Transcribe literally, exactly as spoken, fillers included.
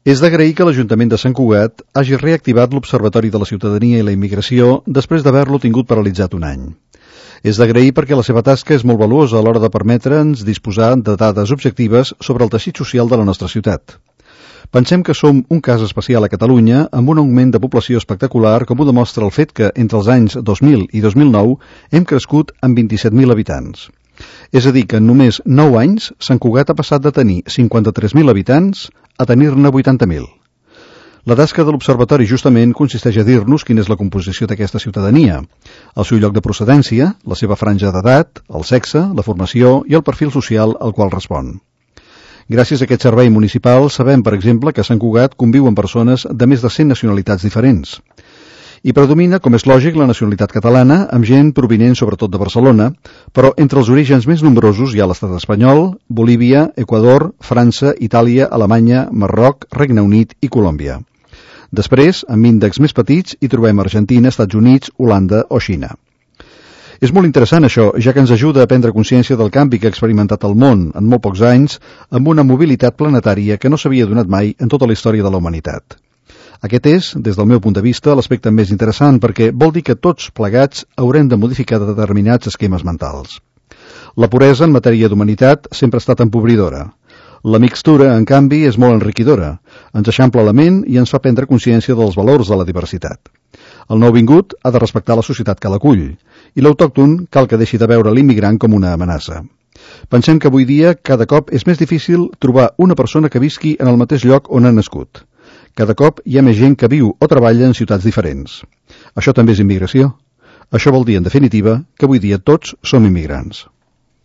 És d'agrair que l'Ajuntament de Sant Cugat hagi reactivat l'Observatori de la Ciutadania i la Immigració després d'haver-lo tingut paralitzat un any. És d'agrair perquè la seva tasca és molt valuosa a l'hora de permetre'ns disposar de dades objectives sobre el teixit social de la nostra ciutat. Pensem que som un cas especial a Catalunya amb un augment de població espectacular, com ho demostra el fet que entre els anys dos mil i dos mil nou hem crescut en vint-i-set mil habitants. És a dir, que en només nou anys Sant Cugat ha passat de tenir cinquanta-tres mil habitants a tenir-ne vuitanta mil. La tasca de l'Observatori justament consisteix a dir-nos quina és la composició d'aquesta ciutadania, el seu lloc de procedència, la seva franja d'edat, el sexe, la formació i el perfil social al qual respon. Gràcies a aquest servei municipal sabem, per exemple, que a Sant Cugat conviuen persones de més de cent nacionalitats diferents. I predomina, com és lògic, la nacionalitat catalana, amb gent provinent sobretot de Barcelona, però entre els orígens més nombrosos hi ha l'estat espanyol, Bolívia, Equador, França, Itàlia, Alemanya, Marroc, Regne Unit i Colòmbia. Després, amb índexs més petits, hi trobem Argentina, Estats Units, Holanda o Xina. És molt interessant això, ja que ens ajuda a prendre consciència del canvi que ha experimentat el món en molt pocs anys amb una mobilitat planetària que no s'havia donat mai en tota la història de la humanitat. Aquest és, des del meu punt de vista, l'aspecte més interessant perquè vol dir que tots plegats haurem de modificar determinats esquemes mentals. La puresa en matèria d'humanitat sempre ha estat empobridora. La mixtura, en canvi, és molt enriquidora. Ens eixampla la ment i ens fa prendre consciència dels valors de la diversitat. El nouvingut ha de respectar la societat que l'acull i l'autòcton cal que deixi de veure l'immigrant com una amenaça. Pensem que avui dia cada cop és més difícil trobar una persona que visqui en el mateix lloc on ha nascut. Cada cop hi ha més gent que viu o treballa en ciutats diferents. Això també és immigració. Això vol dir, en definitiva, que avui dia tots som immigrants.